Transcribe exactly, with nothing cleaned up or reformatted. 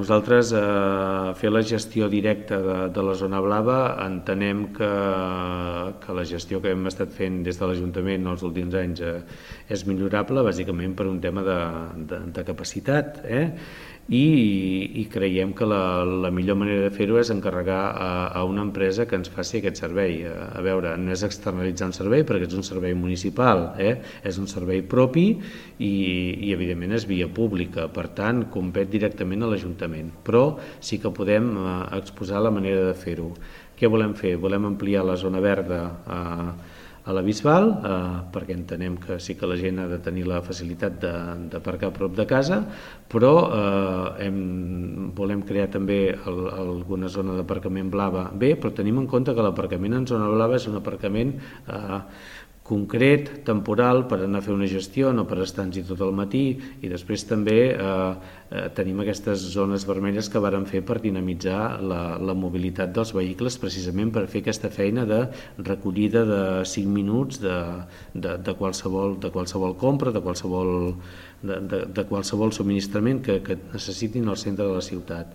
Nosaltres eh, fer la gestió directa de, de la zona blava entenem que, que la gestió que hem estat fent des de l'Ajuntament els últims anys eh, és millorable, bàsicament per un tema de, de, de capacitat, eh? I, i creiem que la, la millor manera de fer-ho és encarregar a, a una empresa que ens faci aquest servei. A, a veure, no és externalitzar un servei perquè és un servei municipal, eh? És un servei propi i, i evidentment és via pública, per tant compet directament a l'Ajuntament, però sí que podem eh, exposar la manera de fer-ho. Què volem fer? Volem ampliar la zona verda eh, a la Bisbal, eh, perquè entenem que sí que la gent ha de tenir la facilitat d'aparcar a prop de casa, però eh, hem, volem crear també el, alguna zona d'aparcament blava bé, però tenim en compte que l'aparcament en zona blava és un aparcament eh, concret, temporal, per anar a fer una gestió, no per estar-hi tot el matí, i després també eh, eh, tenim aquestes zones vermelles que vàrem fer per dinamitzar la, la mobilitat dels vehicles, precisament per fer aquesta feina de recollida de cinc minuts de, de, de, qualsevol, de qualsevol compra, de qualsevol, de, de, de qualsevol subministrament que, que necessitin al centre de la ciutat.